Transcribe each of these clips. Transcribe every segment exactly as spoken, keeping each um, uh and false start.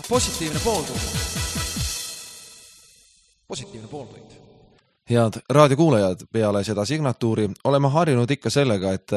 Positiivne pooltund. Positiivne pooltund. Head raadiokuulajad, peale seda signatuuri oleme harjunud ikka sellega, et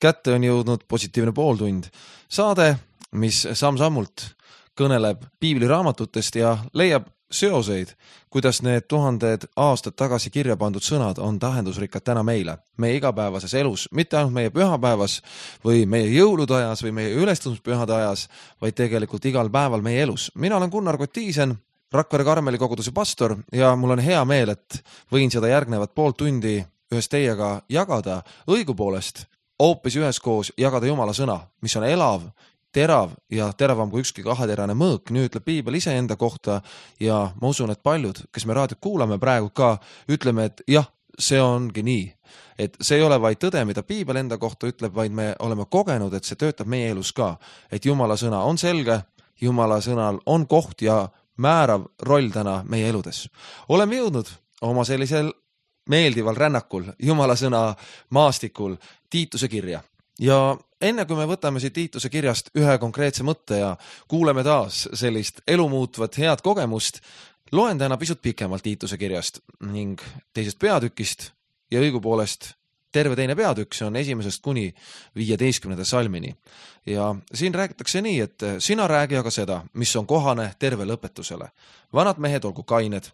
kätte on jõudnud positiivne pooltund. Saade, mis samm-sammult kõneleb piibliraamatutest ja leiab seoseid, kuidas need tuhanded aastad tagasi kirja pandud sõnad on tähendusrikkad täna meile, meie igapäevases elus, mitte ainult meie pühapäevas või meie jõulude ajas või meie ülestumispühade ajas, vaid tegelikult igal päeval meie elus. Mina olen Gunnar Kotiisen, Rakvere Karmeli koguduse pastor ja mul on hea meel, et võin seda järgnevat pool tundi ühes teiega jagada, õigupoolest hoopis üheskoos jagada Jumala sõna, mis on elav, terav ja teravam kui ükski kaheterane mõõk, nii ütleb piibel ise enda kohta ja ma usun, et paljud, kes me raadiot kuulame praegu ka, ütleme, et jah, see ongi nii. Et see ei ole vaid tõde, mida piibel enda kohta ütleb, vaid me oleme kogenud, et see töötab meie elus ka. Et Jumala sõna on selge, Jumala sõnal on koht ja määrav roll täna meie eludes. Oleme jõudnud oma sellisel meeldival rännakul, Jumala sõna maastikul, Tiituse kirja. Ja enne kui me võtame siit Tiituse kirjast ühe konkreetse mõtte ja kuuleme taas sellist elumuutvat head kogemust, loen täna pisut pikemalt Tiituse kirjast ning teisest peatükist ja õigupoolest terve teine peatükk, see on esimesest kuni viieteistkümnenda salmini. Ja siin räägitakse nii, et sina räägi aga seda, mis on kohane tervele õpetusele. Vanad mehed olgu kained,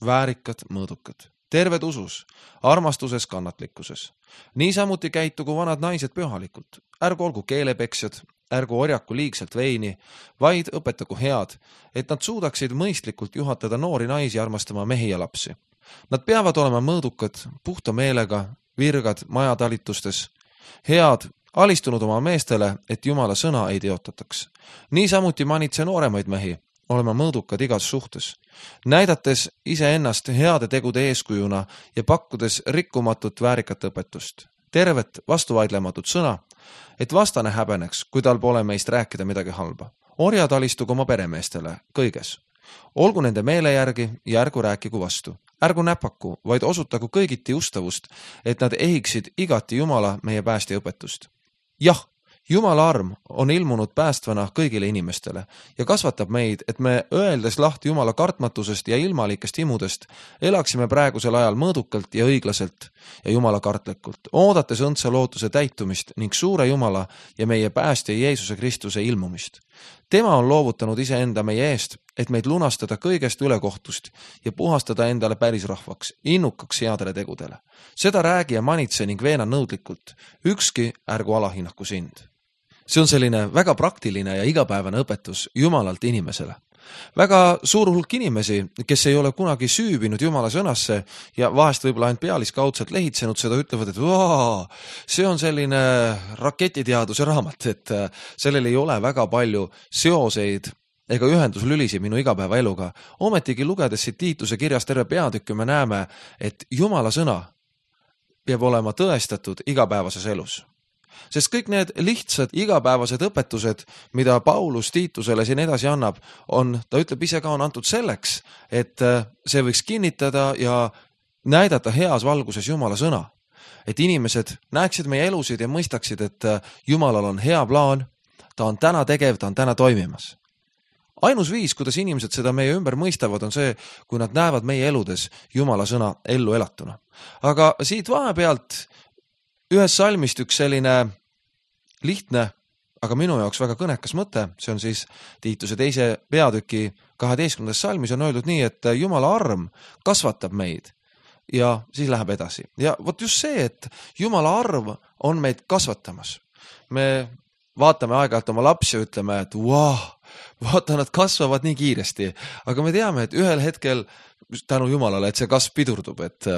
väärikad, mõõdukad, terved usus, armastuses, kannatlikkuses. Niisamuti käitugu vanad naised pühalikult. Ärgu olgu keelepeksjad, ärgu orjaku liigselt veini, vaid õpetagu head, et nad suudaksid mõistlikult juhatada noori naisi armastama mehi ja lapsi. Nad peavad olema mõõdukad, puhta meelega, virgad majatalitustes, head, alistunud oma meestele, et Jumala sõna ei teotataks. Niisamuti manitse nooremaid mehi, olema mõõdukad igas suhtes, näidates iseennast heade tegude eeskujuna ja pakkudes rikkumatut väärikat õpetust, tervet vastuvaidlematut sõna, et vastane häbeneks, kui tal pole meist rääkida midagi halba. Orjad alistugu oma peremeestele kõiges. Olgu nende meele järgi ja ärgu rääkigu vastu. Ärgu näpaku, vaid osutagu kõigiti ustavust, et nad ehiksid igati Jumala meie päästja õpetust. Jah, Jumala arm on ilmunud päästvana kõigile inimestele ja kasvatab meid, et me öeldes lahti Jumala kartmatusest ja ilmalikest imudest elaksime praegusel ajal mõõdukalt ja õiglaselt ja Jumala kartlikult, oodates õndsa lootuse täitumist ning suure Jumala ja meie päästja Jeesuse Kristuse ilmumist. Tema on loovutanud iseenda meie eest, et meid lunastada kõigest ülekohtust ja puhastada endale päris rahvaks, innukaks headele tegudele. Seda räägi ja manitse ning veena nõudlikult. Ükski ärgu alahinnaku sind. See on selline väga praktiline ja igapäevane õpetus Jumalalt inimesele. Väga suur hulk inimesi, kes ei ole kunagi süübinud Jumala sõnasse ja vahest võib-olla ainult pealiskaudselt lehitsenud seda, ütlevad, et vaa, see on selline raketiteaduse raamat, et sellel ei ole väga palju seoseid ega ühenduslülisi minu igapäeva eluga. Ometigi lugedes siit Tiituse kirjast terve peatükki me näeme, et Jumala sõna peab olema tõestatud igapäevases elus. Sest kõik need lihtsad igapäevased õpetused, mida Paulus Tiitusele siin edasi annab, on, ta ütleb ise ka, on antud selleks, et see võiks kinnitada ja näidata heas valguses Jumala sõna. Et inimesed näeksid meie elusid ja mõistaksid, et Jumalal on hea plaan, ta on täna tegev, ta on täna toimimas. Ainus viis, kuidas inimesed seda meie ümber mõistavad, on see, kui nad näevad meie eludes Jumala sõna ellu elatuna. Aga siit vahepealt ühes salmist üks selline lihtne, aga minu jaoks väga kõnekas mõte, see on siis Tiituse teise peatüki kaheteistkümnendas salmis on öeldud nii, et Jumala arm kasvatab meid ja siis läheb edasi. Ja vot just see, et Jumala arm on meid kasvatamas. Me vaatame aeg-ajalt oma lapsi ja ütleme, et vau, vaata, nad kasvavad nii kiiresti, aga me teame, et ühel hetkel tänu Jumalale, et see kasv pidurdub, et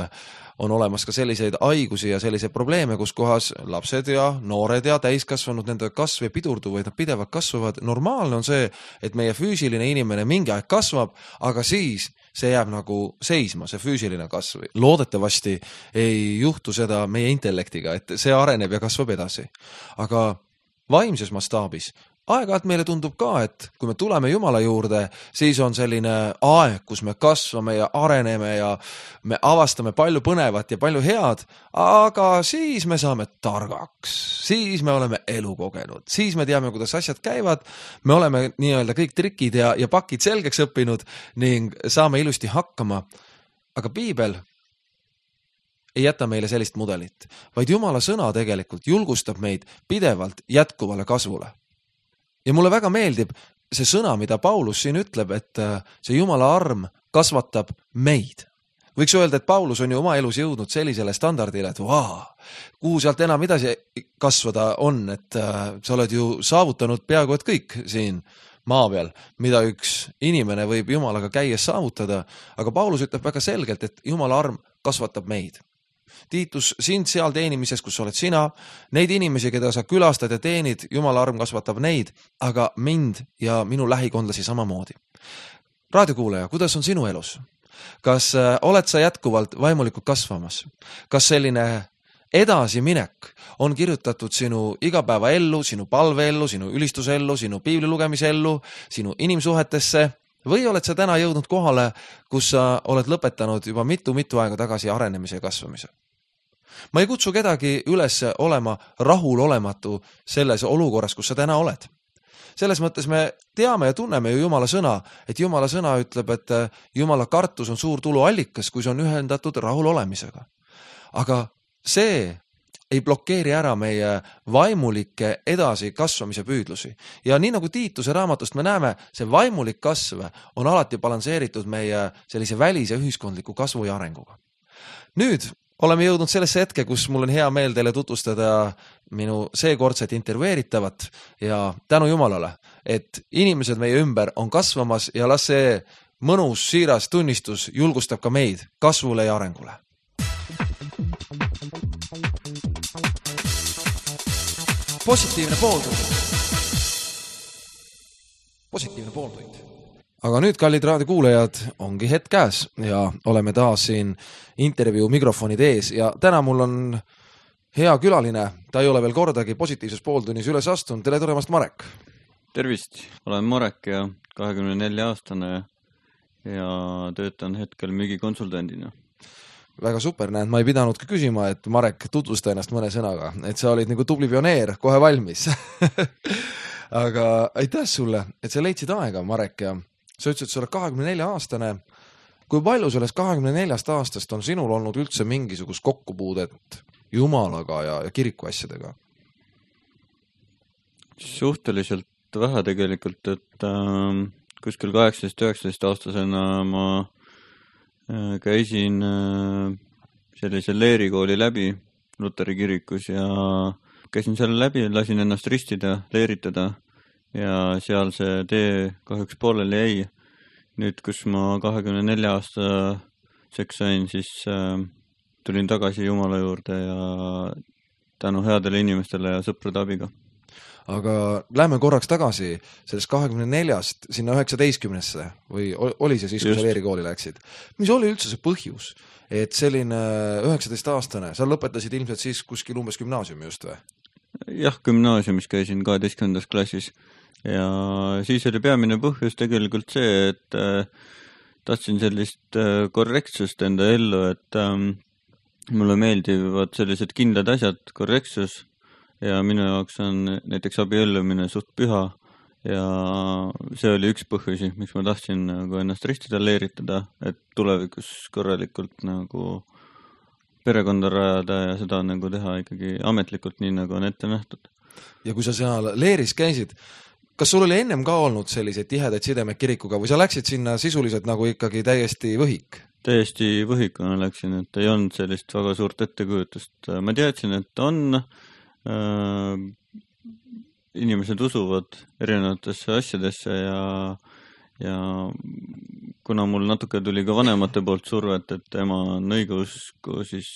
on olemas ka selliseid haigusi ja selliseid probleeme, kus kohas lapsed ja noored ja täiskasvanud nende kasv ei pidurdu, vaid nad pidevalt kasvavad. Normaalne on see, et meie füüsiline inimene mingi aeg kasvab, aga siis see jääb nagu seisma, see füüsiline kasv. Loodetavasti ei juhtu seda meie intellektiga, et see areneb ja kasvab edasi. Aga vaimses mastaabis aeg-ajalt meile tundub ka, et kui me tuleme Jumala juurde, siis on selline aeg, kus me kasvame ja areneme ja me avastame palju põnevat ja palju head, aga siis me saame targaks, siis me oleme elu kogenud, siis me teame, kuidas asjad käivad, me oleme nii-öelda kõik trikid ja, ja pakid selgeks õppinud ning saame ilusti hakkama. Aga piibel ei jäta meile sellist mudelit, vaid Jumala sõna tegelikult julgustab meid pidevalt jätkuvale kasvule. Ja mulle väga meeldib see sõna, mida Paulus siin ütleb, et see Jumala arm kasvatab meid. Võiks öelda, et Paulus on ju oma elus jõudnud sellisele standardile, et vaa, kuhu sealt enam edasi kasvada on, et sa oled ju saavutanud peaaegu et kõik siin maa peal, mida üks inimene võib Jumalaga käies saavutada, aga Paulus ütleb väga selgelt, et Jumala arm kasvatab meid. Tiitus, sind seal teenimises, kus oled sina, neid inimesi, keda sa külastad ja teenid, Jumala arm kasvatab neid, aga mind ja minu lähikondlasi samamoodi. Raadiokuulaja, kuidas on sinu elus? Kas oled sa jätkuvalt vaimulikult kasvamas? Kas selline edasiminek on kirjutatud sinu igapäeva ellu, sinu palve ellu, sinu ülistuse ellu, sinu piibli lugemise ellu, sinu inimsuhetesse? Või oled sa täna jõudnud kohale, kus sa oled lõpetanud juba mitu-mitu aega tagasi arenemise ja kasvamise? Ma ei kutsu kedagi üles olema rahulolematu selles olukorras, kus sa täna oled. Selles mõttes me teame ja tunneme ju Jumala sõna, et Jumala sõna ütleb, et Jumala kartus on suur tuluallikas, kui see on ühendatud rahulolemisega. Aga see ei blokeeri ära meie vaimulike edasi kasvamise püüdlusi. Ja nii nagu Tiituse raamatust me näeme, see vaimulik kasv on alati balanseeritud meie sellise välise ühiskondliku kasvu ja arenguga. Nüüd oleme jõudnud sellesse hetke, kus mul on hea meel teile tutvustada minu seekordset intervjueeritavat ja tänu Jumalale, et inimesed meie ümber on kasvamas ja las see mõnus siiras tunnistus julgustab ka meid kasvule ja arengule. Positiivne pooltund. Positiivne pooltund. Aga nüüd, kallid raadiokuulajad, ongi hetk käes ja oleme taas siin intervjuu mikrofonide ees ja täna mul on hea külaline, ta ei ole veel kordagi positiivses pooltunnis üles astunud. Tere tulemast, Marek! Tervist! Olen Marek ja kahekümne nelja aastane ja töötan hetkel müügikonsultandina. Väga super, näed, ma ei pidanud ka küsima, et Marek tutvusta ennast mõne sõnaga, et sa olid nagu tubli pioneer, kohe valmis. Aga aitäh sulle, et sa leidsid aega, Marek, ja sa ütlesid, et sa oled kahekümne nelja aastane. Kui palju sellest kahekümne neljast aastast on sinul olnud üldse mingisugust kokkupuudet Jumalaga ja, ja kiriku asjadega? Suhteliselt vähe tegelikult, et äh, kuskil kaheksateist üheksateist aastasena ma äh, käisin äh, sellise leerikooli läbi Luteri kirikus ja käisin selle läbi, lasin ennast ristida, leeritada ja seal see tee kahjuks pooleli jäi. Nüüd, kus ma kahekümne nelja aastaseks sain, siis äh, tulin tagasi Jumala juurde ja tänu headele inimestele ja sõprade abiga. Aga lähme korraks tagasi sellest kahekümne neljast sinna üheksateistkümnesse või oli see siis, kui sa leerikooli läksid? Mis oli üldse see põhjus, et selline üheksateist aastane, sa lõpetasid ilmselt siis kuskil umbes gümnaasiumi just või? Jah, gümnaasiumis käisin kaheteistkümnendas klassis ja siis oli peamine põhjus tegelikult see, et äh, tahtsin sellist äh, korrektsust enda ellu, et äh, mulle meeldivad sellised kindlad asjad, korrektsus ja minu jaoks on näiteks abiellumine suht püha ja see oli üks põhjusi, miks ma tahtsin nagu ennast ristida, leeritada, et tulevikus korralikult nagu perekonda rajada ja seda nagu teha ikkagi ametlikult nii, nagu on ette nähtud. Ja kui sa seal leeris käisid, kas sul oli ennem ka olnud selliseid tihedaid sidemeid kirikuga või sa läksid sinna sisuliselt nagu ikkagi täiesti võhik? Täiesti võhikuna läksin, et ei olnud sellist väga suurt ettekujutust. Ma teadsin, et on äh, inimesed usuvad erinevatesse asjadesse ja, ja kuna mul natuke tuli ka vanemate poolt survet, et ema on õigeusku, siis,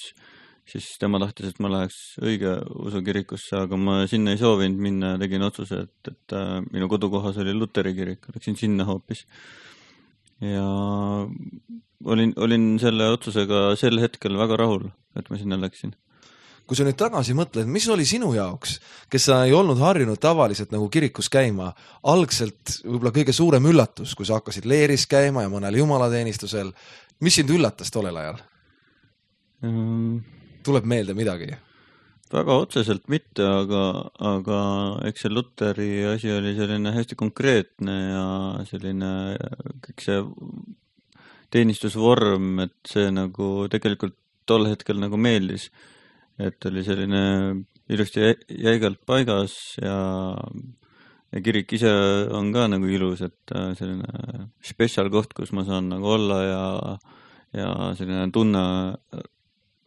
siis tema tahtis, et ma läheks õige usukirikusse, aga ma sinna ei soovinud minna ja tegin otsuse, et, et minu kodukohas oli Luteri kirik, läksin sinna hoopis. Ja olin, olin selle otsusega sel hetkel väga rahul, et ma sinna läksin. kui sa nüüd tagasi mõtled, mis oli sinu jaoks, kes sa ei olnud harjunud tavaliselt nagu kirikus käima, algselt võib-olla kõige suurem üllatus, kui sa hakkasid leeris käima ja mõnel jumalateenistusel, mis sind üllatas tollel ajal? Mm. Tuleb meelde midagi? Väga otseselt mitte, aga, aga eks see Luteri asi oli selline hästi konkreetne ja selline kõik see teenistusvorm, et see nagu tegelikult tol hetkel nagu meeldis, et oli selline ilusti jäigalt paigas ja, ja kirik ise on ka nagu ilus, et selline spetsial koht, kus ma saan nagu olla ja, ja selline tunne,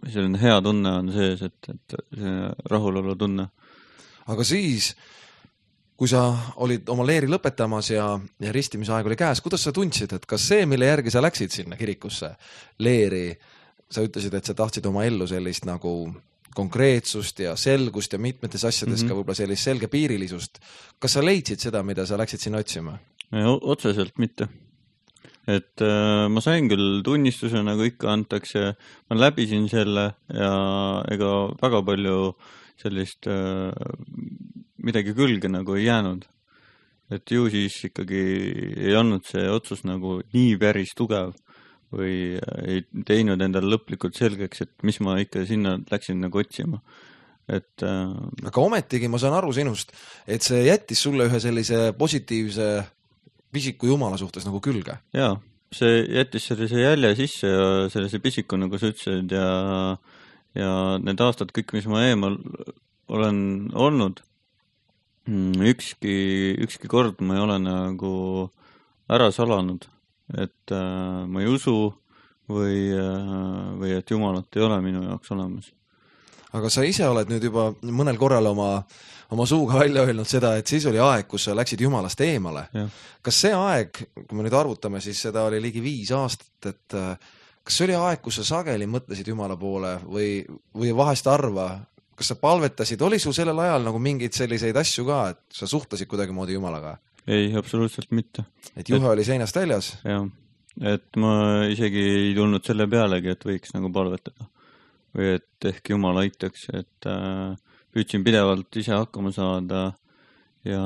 selline hea tunne on sees, et, et selline rahulolu tunne. Aga siis, kui sa olid oma leeri lõpetamas ja, ja ristimise aeg oli käes, kuidas sa tundsid, et kas see, mille järgi sa läksid sinna kirikusse leeri, sa ütlesid, et sa tahtsid oma ellu sellist nagu konkreetsust ja selgust ja mitmetes asjades mm -hmm. ka võib-olla sellist selgepiirilisust. Kas sa leidsid seda, mida sa läksid sinna otsima? Otseselt mitte. Et äh, ma sain küll tunnistuse, nagu ikka antakse, ma läbisin selle ja ega väga palju sellist äh, midagi külge nagu ei jäänud. Et ju siis ikkagi ei olnud see otsus nagu nii päris tugev või ei teinud endale lõplikult selgeks, et mis ma ikka sinna läksin nagu otsima. Et, äh... aga ometigi ma saan aru sinust, et see jättis sulle ühe sellise positiivse pisiku Jumala suhtes nagu külge. Jaa, see jättis sellise jälje sisse ja sellise pisiku, nagu sa ütlesid, ja, ja need aastad kõik, mis ma eemal olen olnud, ükski, ükski kord ma ei ole nagu ära salanud, et äh, ma ei usu või, äh, või et Jumalat ei ole minu jaoks olemas. Aga sa ise oled nüüd juba mõnel korral oma, oma suuga välja öelnud seda, et siis oli aeg, kus sa läksid Jumalast eemale. Ja. Kas see aeg, kui me nüüd arvutame, siis seda oli ligi viis aastat, et kas see oli aeg, kus sa sageli mõtlesid Jumala poole või, või vahest arva, kas sa palvetasid, oli sul sellel ajal nagu mingeid selliseid asju ka, et sa suhtlesid kuidagi moodi Jumalaga? Ei, absoluutselt mitte. Et juhe et, oli seinast väljas? Jah, et ma isegi ei tulnud selle pealegi, et võiks nagu palvetada. Või et ehk Jumal aitaks, et äh, püüdsin pidevalt ise hakkama saada ja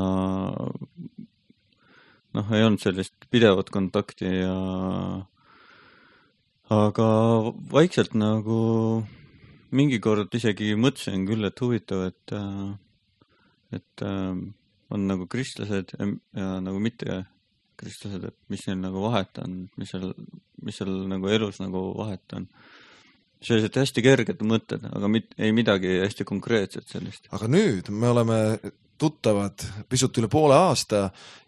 noh, ei olnud sellist pidevat kontakti ja aga vaikselt nagu mingi kord isegi mõtlesin küll, et huvitav, et, et on nagu kristlased ja, ja nagu mitte kristlased, et mis neil nagu vahet on, mis seal, mis seal nagu elus nagu vahet on. Sellised hästi kerged mõtted, aga mit, ei midagi hästi konkreetset sellist. Aga nüüd me oleme tuttavad pisut üle poole aasta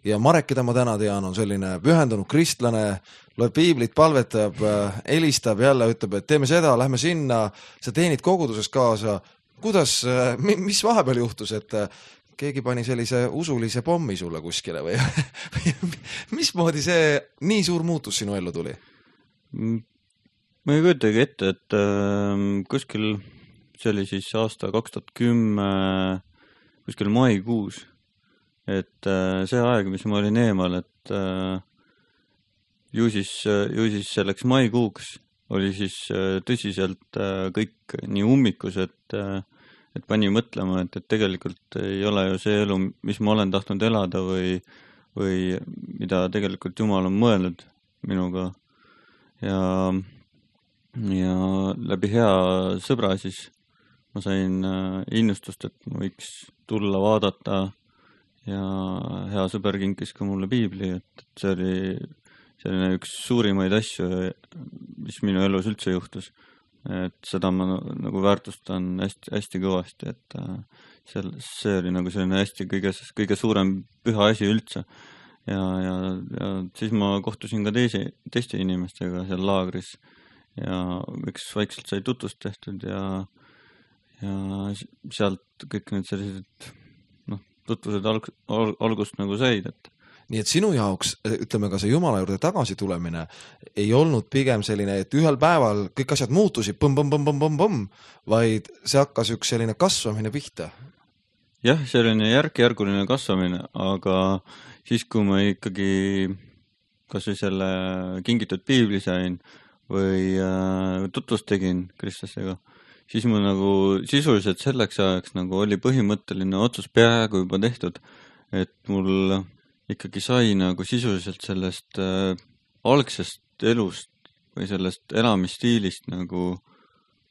ja Marek, keda ma täna tean, on selline pühendunud kristlane, loeb piiblit, palvetab, helistab jälle, ütleb, et teeme seda, lähme sinna, sa teenid koguduses kaasa. Kuidas, mis vahepeal juhtus, et keegi pani sellise usulise pommi sulle kuskile või mismoodi see nii suur muutus sinu ellu tuli? Ma ei kujutagi ette, et äh, kuskil, see oli siis aasta kaks tuhat kümme, kuskil maikuus, et äh, see aeg, mis ma olin eemal, et äh, ju, siis, ju siis selleks maikuuks oli siis äh, tõsiselt äh, kõik nii ummikus, et, äh, et pani mõtlema, et, et tegelikult ei ole ju see elu, mis ma olen tahtnud elada või, või mida tegelikult Jumal on mõelnud minuga ja ja läbi hea sõbra siis ma sain innustust, et ma võiks tulla vaadata ja hea sõber kinkis ka mulle piibli, et see oli selline üks suurimaid asju, mis minu elus üldse juhtus. Et seda ma nagu väärtustan hästi, hästi kõvasti, et see, see oli nagu selline hästi kõige, kõige suurem püha asi üldse. Ja, ja, ja siis ma kohtusin ka teisi, teiste inimestega seal laagris. Ja üks vaikselt sai tutvust tehtud ja, ja sealt kõik need sellised noh, tutvused alg, al, algust nagu said. Et. Nii et sinu jaoks, ütleme ka see Jumala juurde tagasi tulemine, ei olnud pigem selline, et ühel päeval kõik asjad muutusid põmm, põmm, põmm, põmm, põmm, põmm, vaid see hakkas üks selline kasvamine pihta. Jah, selline järk-järguline kasvamine, aga siis, kui ma ikkagi kas või selle kingitud piibli sain, või äh, tutvust tegin kristlastega, siis mul nagu sisuliselt selleks ajaks nagu oli põhimõtteline otsus peaaegu juba tehtud, et mul ikkagi sai nagu sisuliselt sellest äh, algsest elust või sellest elamisstiilist nagu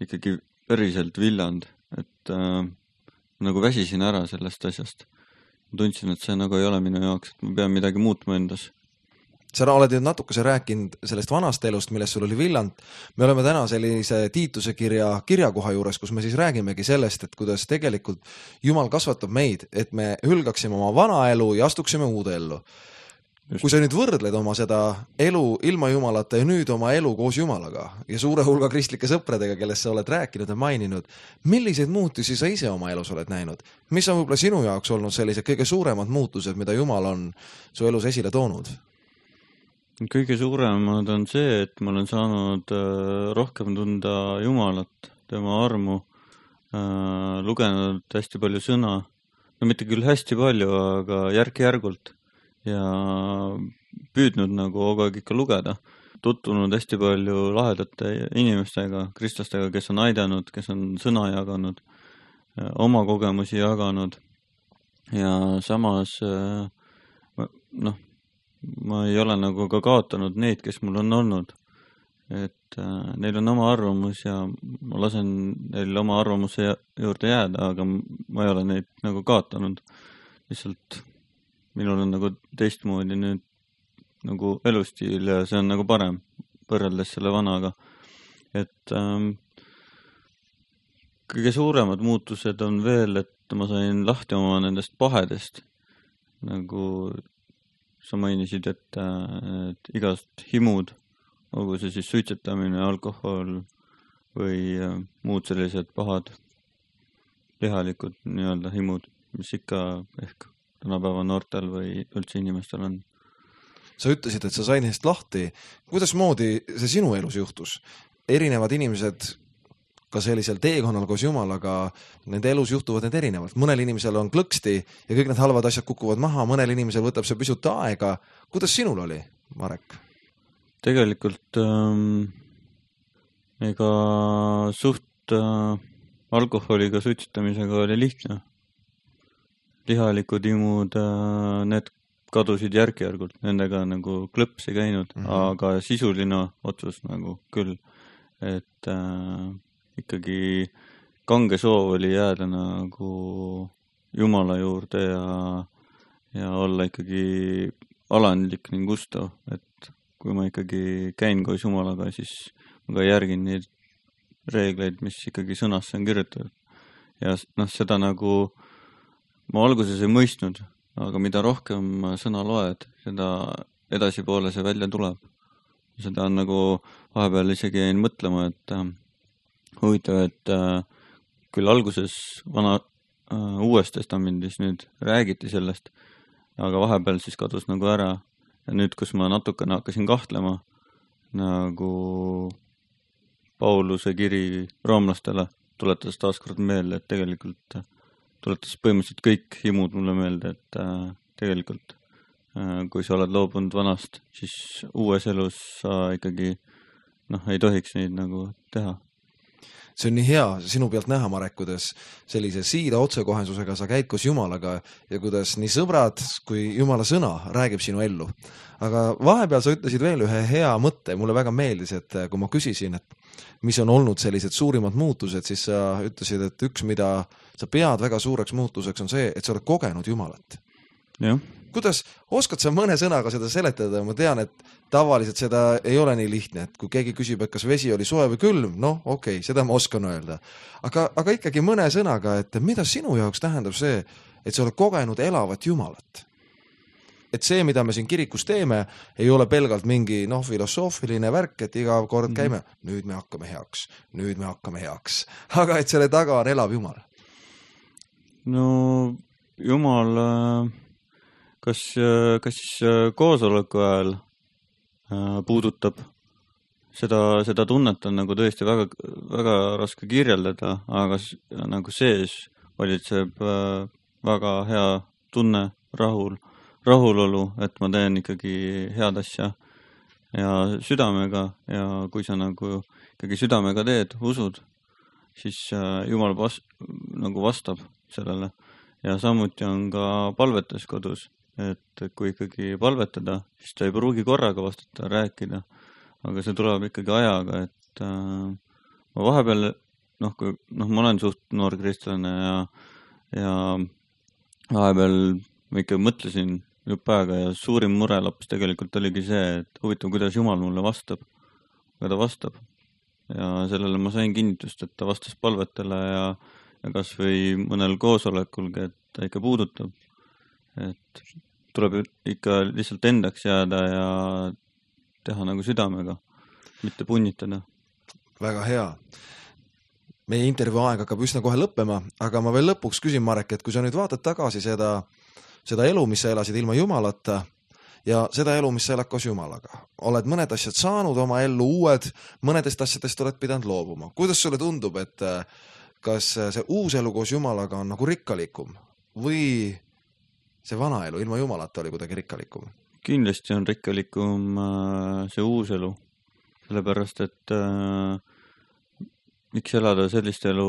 ikkagi päriselt villand, et äh, nagu väsisin ära sellest asjast. Tundsin, et see nagu ei ole minu jaoks, et ma pean midagi muutma endas. Sa oled nüüd natukese rääkinud sellest vanast elust, millest sul oli villand. Me oleme täna sellise Tiituse kirja kirjakoha juures, kus me siis räägimegi sellest, et kuidas tegelikult Jumal kasvatab meid, et me hülgaksime oma vana elu ja astuksime uude ellu. Just. Kui sa nüüd võrdled oma seda elu ilma Jumalata ja nüüd oma elu koos Jumalaga ja suure hulga kristlike sõpradega, kellest sa oled rääkinud ja maininud, milliseid muutusi sa ise oma elus oled näinud? Mis on võib-olla sinu jaoks olnud sellised kõige suuremad muutused, mida Jumal on su elus esile toonud? Kõige suuremad on see, et ma olen saanud rohkem tunda Jumalat, tema armu, lugenud hästi palju sõna, no mitte küll hästi palju, aga järk-järgult ja püüdnud nagu kogu aeg ikka lugeda, tutvunud hästi palju lahedate inimestega, kristlastega, kes on aidanud, kes on sõna jaganud, oma kogemusi jaganud ja samas noh, ma ei ole nagu ka kaotanud neid, kes mul on olnud, et neil on oma arvamus ja ma lasen neil oma arvamuse juurde jääda, aga ma ei ole neid nagu kaotanud, lihtsalt minul on nagu teistmoodi nüüd nagu elustiil ja see on nagu parem võrreldes selle vanaga. Et ähm, kõige suuremad muutused on veel, et ma sain lahti oma nendest pahedest. Nagu sa mainisid, et, et igast himud, olgu see siis suitsetamine, alkohol või äh, muud sellised pahad lihalikud nii-öelda himud, mis ikka ehk tänapäeva noortel või üldse inimestel on. Sa ütlesid, et sa said neist lahti. Kuidas moodi see sinu elus juhtus? Erinevad inimesed ka sellisel teekonnal koos Jumalaga, nende elus juhtuvad need erinevalt. Mõnel inimesel on klõksti ja kõik need halvad asjad kukuvad maha, mõnel inimesel võtab see pisut aega. Kuidas sinul oli, Marek? Tegelikult ähm, ega suht äh, alkoholiga suitsetamisega oli lihtne. Lihalikud imud, need kadusid järk-järgult, nendega nagu klõps ei käinud, mm -hmm. aga sisuline otsus nagu küll, et äh, ikkagi kange soov oli jääda nagu Jumala juurde ja, ja olla ikkagi alandlik ning ustav, et kui ma ikkagi käin koos Jumalaga, siis ma ka järgin neid reegleid, mis ikkagi sõnasse on kirjutatud. Ja noh, seda nagu ma alguses ei mõistnud, aga mida rohkem sõna loed, seda edasipoole see välja tuleb. Seda on nagu vahepeal isegi jäin mõtlema, et äh, huvitav, et äh, küll alguses vana äh, uues testamendis nüüd räägiti sellest, aga vahepeal siis kadus nagu ära. Ja nüüd, kus ma natukene hakkasin kahtlema, nagu Pauluse kiri roomlastele tuletas taaskord meelde, et tegelikult tuletas põhimõtteliselt kõik himud mulle meelde, et äh, tegelikult äh, kui sa oled loobunud vanast, siis uues elus sa ikkagi noh, ei tohiks neid nagu teha. See on nii hea sinu pealt näha, Marek, kuidas sellise siida otsekohensusega sa käid koos Jumalaga ja kuidas nii sõbrad kui Jumala sõna räägib sinu ellu. Aga vahepeal sa ütlesid veel ühe hea mõtte, mulle väga meeldis, et kui ma küsisin, et mis on olnud sellised suurimad muutused, siis sa ütlesid, et üks, mida sa pead väga suureks muutuseks, on see, et sa oled kogenud Jumalat. Jah. Kuidas, oskad sa mõne sõnaga seda seletada? Ma tean, et tavaliselt seda ei ole nii lihtne, et kui keegi küsib, et kas vesi oli soe või külm, noh, okei, okay, seda ma oskan öelda. Aga, aga ikkagi mõne sõnaga, et mida sinu jaoks tähendab see, et sa oled kogenud elavat Jumalat? Et see, mida me siin kirikus teeme, ei ole pelgalt mingi noh, filosoofiline värk, et iga kord käime, nüüd me hakkame heaks, nüüd me hakkame heaks. Aga et selle taga on elav Jumal. No Jumal kas, kas siis koosoleku ajal puudutab seda, seda tunnet on nagu tõesti väga, väga raske kirjeldada, aga nagu sees valitseb väga hea tunne, rahul, rahulolu, et ma teen ikkagi head asja ja südamega ja kui sa nagu ikkagi südamega teed, usud, siis Jumal vas, nagu vastab sellele. Ja samuti on ka palvetes kodus, et kui ikkagi palvetada, siis ta ei pruugi korraga vastata, rääkida, aga see tuleb ikkagi ajaga, et äh, ma vahepeal, noh, kui, noh, ma olen suht noor kristlane ja, ja vahepeal ma ikka mõtlesin jupp aega ja suurim murelaps tegelikult oligi see, et huvitav, kuidas Jumal mulle vastab, aga ta vastab. Ja sellele ma sain kinnitust, et ta vastas palvetele ja, ja kas või mõnel koosolekulgi, et ta ikka puudutab. Et tuleb ikka lihtsalt endaks jääda ja teha nagu südamega, mitte punnitada. Väga hea. Meie intervjuu aeg hakkab üsna kohe lõppema, aga ma veel lõpuks küsin, Marek, et kui sa nüüd vaatad tagasi seda, seda elu, mis sa elasid ilma Jumalata ja seda elu, mis sa elad koos Jumalaga. Oled mõned asjad saanud oma ellu uued, mõnedest asjadest oled pidanud loobuma. Kuidas sulle tundub, et kas see uus elu koos Jumalaga on nagu rikkalikum või see vana elu ilma Jumalata oli kuidagi rikkalikum? Kindlasti on rikkalikum see uus elu, sellepärast, et äh, miks elada sellist elu,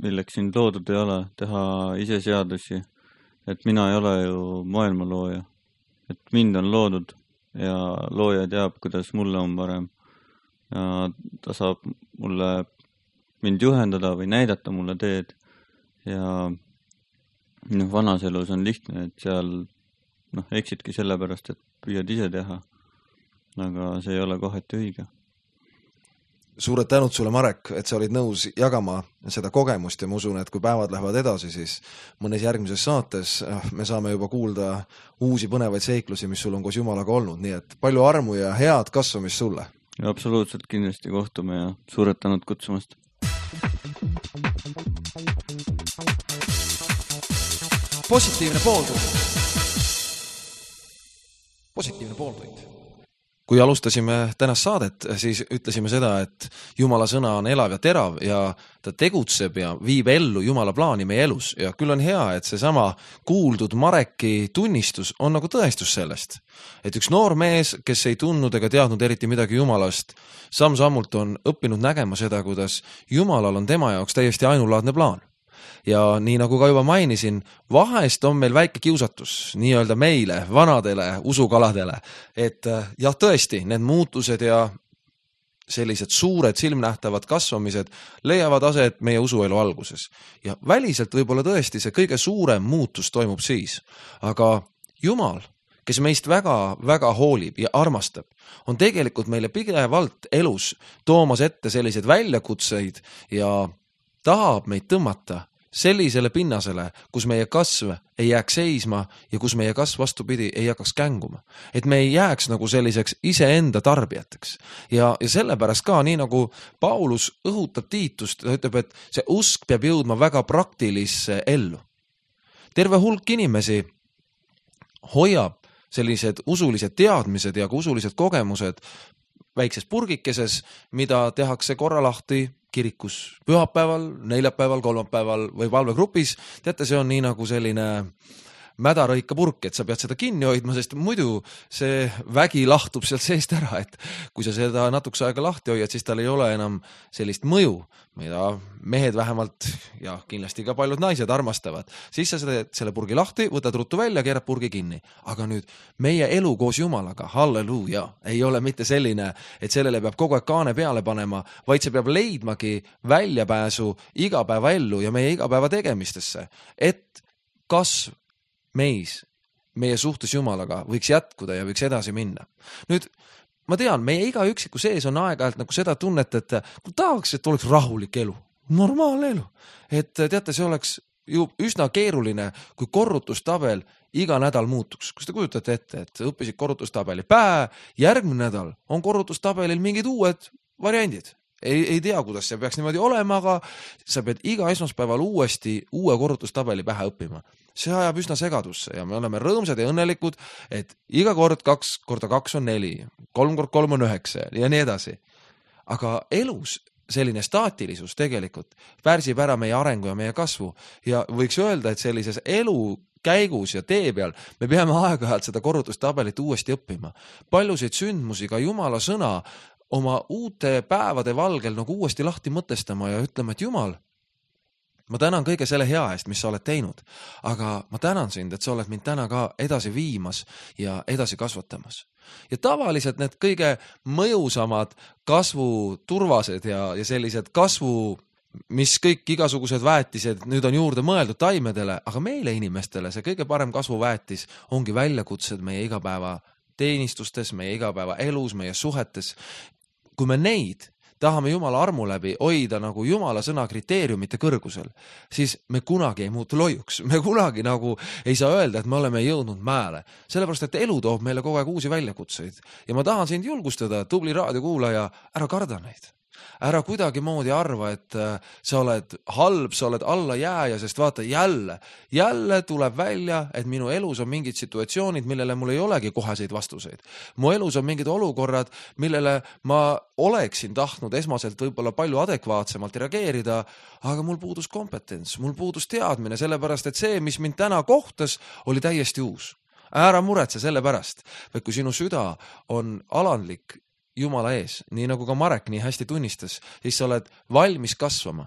milleks sind loodud ei ole, teha ise seadusi, et mina ei ole ju maailma looja, et mind on loodud ja looja teab, kuidas mulle on parem ja ta saab mulle mind juhendada või näidata mulle teed ja noh, vanas elus on lihtne, et seal noh, eksitki sellepärast, et püüad ise teha, aga see ei ole kohati õige. Suured tänud sulle, Marek, et sa olid nõus jagama seda kogemust ja ma usun, et kui päevad lähevad edasi, siis mõnes järgmises saates me saame juba kuulda uusi põnevaid seiklusi, mis sul on koos Jumalaga olnud, nii et palju armu ja head kasvamist sulle. Ja absoluutselt kindlasti kohtume ja suured tänud kutsumast. Positiivne pooltund. Positiivne pooltund. Kui alustasime tänast saadet, siis ütlesime seda, et Jumala sõna on elav ja terav ja ta tegutseb ja viib ellu Jumala plaani meie elus. Ja küll on hea, et see sama kuuldud Mareki tunnistus on nagu tõestus sellest. Et üks noor mees, kes ei tundnud ega teadnud eriti midagi Jumalast, samm-sammult on õppinud nägema seda, kuidas Jumalal on tema jaoks täiesti ainulaadne plaan. Ja nii nagu ka juba mainisin, vahest on meil väike kiusatus nii-öelda meile, vanadele usukaladele, et jah, tõesti, need muutused ja sellised suured silmnähtavad kasvamised leiavad aset meie usuelu alguses. Ja väliselt võib-olla tõesti see kõige suurem muutus toimub siis. Aga Jumal, kes meist väga, väga hoolib ja armastab, on tegelikult meile pidevalt elus toomas ette selliseid väljakutseid ja tahab meid tõmmata sellisele pinnasele, kus meie kasv ei jääks seisma ja kus meie kasv vastupidi ei hakkaks känguma. Et me ei jääks nagu selliseks iseenda tarbijateks. Ja, ja sellepärast ka, nii nagu Paulus õhutab Tiitust, ta ütleb, et see usk peab jõudma väga praktilisse ellu. Terve hulk inimesi hoiab sellised usulised teadmised ja usulised kogemused väikses purgikeses, mida tehakse korra lahti kirikus pühapäeval, neljapäeval, kolmapäeval või palvegrupis. Teate, see on nii nagu selline mädarõika purk, et sa pead seda kinni hoidma, sest muidu see vägi lahtub sealt seest ära, et kui sa seda natukese aega lahti hoiad, siis tal ei ole enam sellist mõju, mida mehed vähemalt ja kindlasti ka paljud naised armastavad. Siis sa teed selle purgi lahti, võtad ruttu välja, keerad purgi kinni. Aga nüüd meie elu koos Jumalaga, halleluuja, ei ole mitte selline, et sellele peab kogu aeg kaane peale panema, vaid see peab leidmagi väljapääsu igapäeva ellu ja meie igapäeva tegemistesse, et kasv meis, meie suhtes Jumalaga võiks jätkuda ja võiks edasi minna. Nüüd, ma tean, meie iga üksiku sees on aeg-ajalt nagu seda tunnet, et tahaks, et oleks rahulik elu, normaalne elu. Et teate, see oleks ju üsna keeruline, kui korrutustabel iga nädal muutuks. Kus te kujutate ette, et õppisid korrutustabeli pää, järgmine nädal on korrutustabelil mingid uued variandid. Ei, ei tea, kuidas see peaks niimoodi olema, aga sa pead iga esmaspäeval uuesti uue korrutustabeli pähe õppima. See ajab üsna segadusse ja me oleme rõõmsad ja õnnelikud, et iga kord kaks korda kaks on neli, kolm kord kolm on üheksa ja nii edasi. Aga elus selline staatilisus tegelikult pärsib ära meie arengu ja meie kasvu ja võiks öelda, et sellises elu käigus ja tee peal me peame aeg-ajalt seda korrutustabelit uuesti õppima. Paljusid sündmusi, ka Jumala sõna oma uute päevade valgel nagu uuesti lahti mõtestama ja ütlema, et Jumal, ma tänan kõige selle hea eest, mis sa oled teinud, aga ma tänan sind, et sa oled mind täna ka edasi viimas ja edasi kasvatamas. Ja tavaliselt need kõige mõjusamad kasvuturvased ja, ja sellised kasvu, mis kõik igasugused väetised nüüd on juurde mõeldud taimedele, aga meile inimestele see kõige parem kasvuväetis ongi väljakutsed meie igapäeva teenistustes, meie igapäeva elus, meie suhetes. Kui me neid tahame Jumala armu läbi hoida nagu Jumala sõna kriteeriumite kõrgusel, siis me kunagi ei muutu loiuks. Me kunagi nagu ei saa öelda, et me oleme jõudnud mäele. Sellepärast, et elu toob meile kogu aeg uusi väljakutseid. Ja ma tahan sind julgustada, tubli raadiokuulaja, ära karda neid. Ära kuidagi moodi arva, et sa oled halb, sa oled alla jääja, sest vaata jälle, jälle tuleb välja, et minu elus on mingid situatsioonid, millele mul ei olegi koheseid vastuseid. Mu elus on mingid olukorrad, millele ma oleksin tahtnud esmaselt võib-olla palju adekvaatsemalt reageerida, aga mul puudus kompetents, mul puudus teadmine, sellepärast, et see, mis mind täna kohtas, oli täiesti uus. Ära muretse selle pärast, et kui sinu süda on alandlik Jumala ees, nii nagu ka Marek nii hästi tunnistas, siis sa oled valmis kasvama.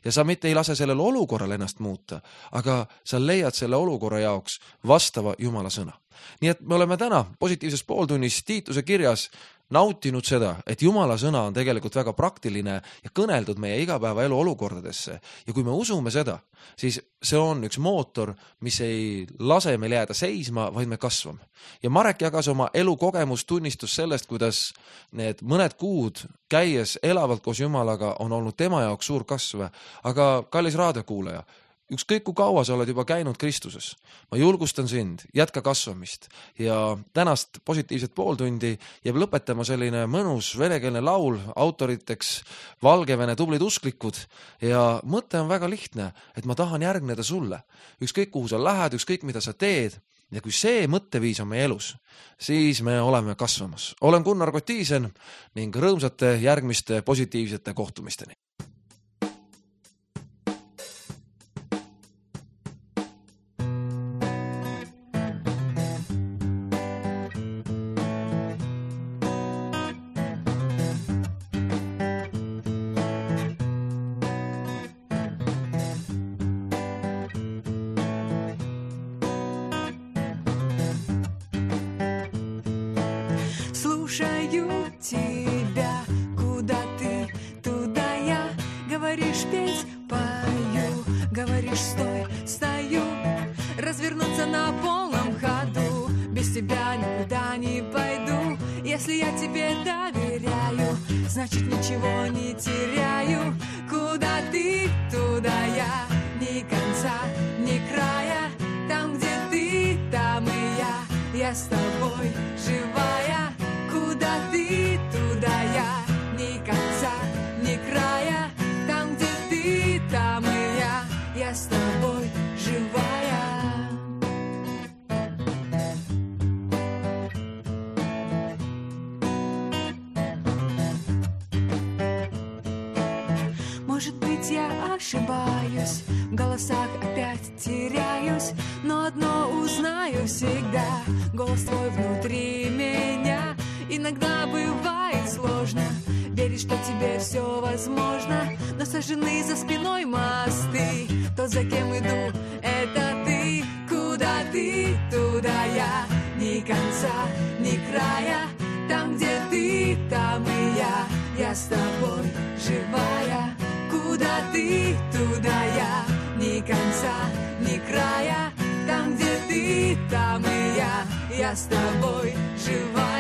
Ja sa mitte ei lase sellel olukorral ennast muuta, aga sa leiad selle olukorra jaoks vastava Jumala sõna. Nii et me oleme täna positiivses pooltunnis Tiituse kirjas nautinud seda, et Jumala sõna on tegelikult väga praktiline ja kõneldud meie igapäeva elu olukordadesse. Ja kui me usume seda, siis see on üks mootor, mis ei lase meil jääda seisma, vaid me kasvame. Ja Marek jagas oma elukogemus tunnistus sellest, kuidas need mõned kuud käies elavalt koos Jumalaga on olnud tema jaoks suur kasv. Aga kallis raadiokuulaja, ükskõik kui kaua sa oled juba käinud Kristuses. Ma julgustan sind, jätka kasvamist ja tänast positiivset pooltundi jääb lõpetama selline mõnus venekeelne laul autoriteks Valgevene tublid usklikud ja mõte on väga lihtne, et ma tahan järgneda sulle. Ükskõik kuhu sa lähed, ükskõik mida sa teed ja kui see mõtteviis on meie elus, siis me oleme kasvamas. Olen Gunnar Kotiisen ning rõõmsate järgmiste positiivsete kohtumisteni. Слушаю тебя, куда ты, туда я. Говоришь, петь, пою, говоришь, стой, стою. Развернуться на полном ходу, без тебя никуда не пойду. Если я тебе доверяю, значит ничего не теряю. Куда ты, туда я, ни конца, ни края. Там, где ты, там и я, я с тобой живая. Куда ты, туда я, ни конца, ни края. Там, где ты, там и я, я с тобой живая. Может быть, я ошибаюсь, в голосах опять теряюсь, но одно узнаю всегда, голос твой внутри меня. Иногда бывает сложно верить, что тебе все возможно, но сожжены за спиной мосты. Тот, за кем иду, это ты. Куда ты, туда я, ни конца, ни края. Там, где ты, там и я, я с тобой живая. Куда ты, туда я, ни конца, ни края. Там, где ты, там и я, я с тобой живая.